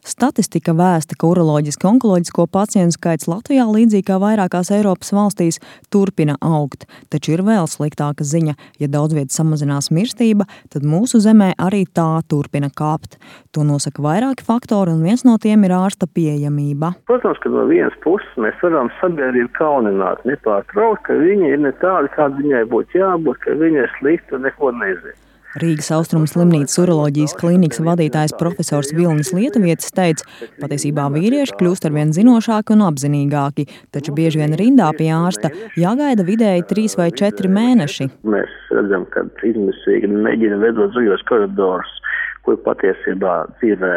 Statistika vēsta, ka uroloģisko-onkoloģisko pacientu skaits Latvijā, līdzīgi kā vairākās Eiropas valstīs, turpina augt. Taču ir vēl sliktāka ziņa. Ja daudz vietu samazinās mirstība, tad mūsu zemē arī tā turpina kāpt. To nosaka vairāki faktori, un viens no tiem ir ārsta pieejamība. Protams, ka no vienas puses mēs varam sabiedrību kaunināt, nepārtraukt, ka viņa ir ne tāda, kāda viņai būtu jābūt, ka viņa ir slikta un neko nezina. Rīgas Austrumu slimnīcas uroloģijas klīnikas vadītājs profesors Vilnis Lietuvietis teica, patiesībā vīrieši kļūst arvien zinošāki un apzinīgāki, taču bieži vien rindā pie ārsta jāgaida vidēji 3 vai 4 mēneši. Mēs redzam, ka izmisīgi mēģina vedot zaļos koridorus, kur patiesībā dzīvē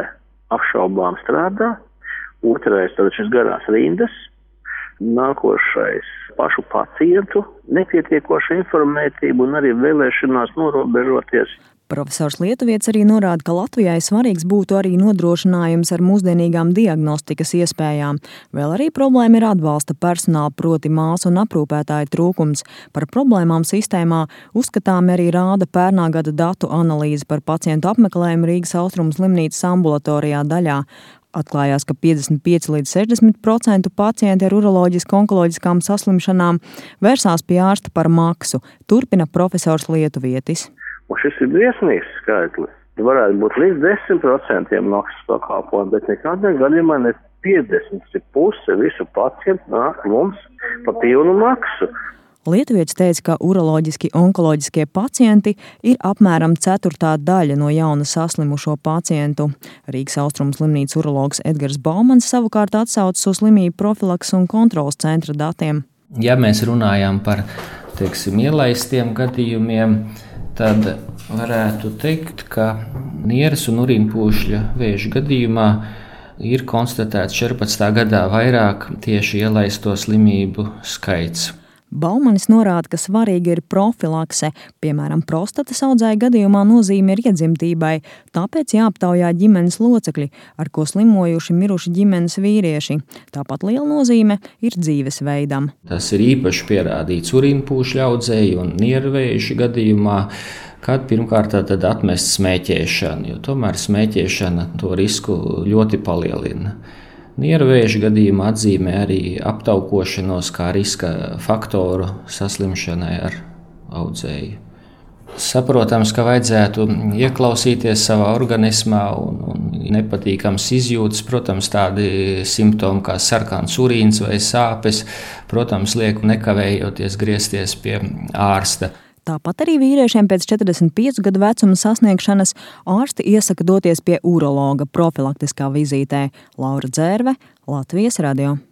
apšaubām strādā. Otrais, tad šis garās rindas. Nākošais pašu pacientu nepietiekoša informētība un arī vēlēšanās norobežoties. Profesors Lietuvietis arī norāda, ka Latvijai svarīgs būtu arī nodrošinājums ar mūsdienīgām diagnostikas iespējām. Vēl arī problēma ir atbalsta personāla, proti māsu un aprūpētāju trūkums. Par problēmām sistēmā uzskatāmi arī rāda pērnā gada datu analīze par pacientu apmeklējumu Rīgas Austrumu slimnīcas ambulatorijā daļā. Atklājās, ka 55 līdz 60% pacienti ar uroloģisko-onkoloģiskām saslimšanām vērsās pie ārsta par maksu, turpina profesors Lietuvietis. Un šis ir briesmīgs skaitlis. Varētu būt līdz 10% maksas pakalpojumu, bet nekādā gadījumā ne 50, puse visu pacientu nāk mums pa pilnu maksu. Lietuvietis teica, ka uroloģiski-onkoloģiskie pacienti ir apmēram 1/4 daļa no jauna saslimušo pacientu. Rīgas Austrumu slimnīcas urologs Edgars Baumans savukārt atsaucas uz slimību profilakses un kontroles centra datiem. Ja mēs runājam par, ielaistiem gadījumiem, tad varētu teikt, ka nieres un urīnpūšļa vēža gadījumā ir konstatēts 14. gadā vairāk tieši ielaisto slimību skaits. Baumanis norāda, ka svarīga ir profilakse, piemēram, prostatas audzēja gadījumā nozīme ir iedzimtībai, tāpēc jāaptaujā ģimenes locekļi, ar ko slimojuši miruši ģimenes vīrieši. Tāpat liela nozīme ir dzīvesveidam. Tas ir īpaši pierādīts urīnpūšļa audzēju un niervējuši gadījumā, kad pirmkārt tad atmest smēķēšanu, jo tomēr smēķēšana to risku ļoti palielina. Niervēža gadījumā atzīmē arī aptaukošanos kā riska faktoru saslimšanai ar audzēju. Saprotams, ka vajadzētu ieklausīties savā organismā un nepatīkams izjūtas, protams, tādi simptomi kā sarkans urīns vai sāpes, protams, liek nekavējoties griezties pie ārsta. Tāpat arī vīriešiem pēc 45 gadu vecuma sasniegšanas ārsti iesaka doties pie urologa profilaktiskā vizītē. Laura Dzērve, Latvijas radio.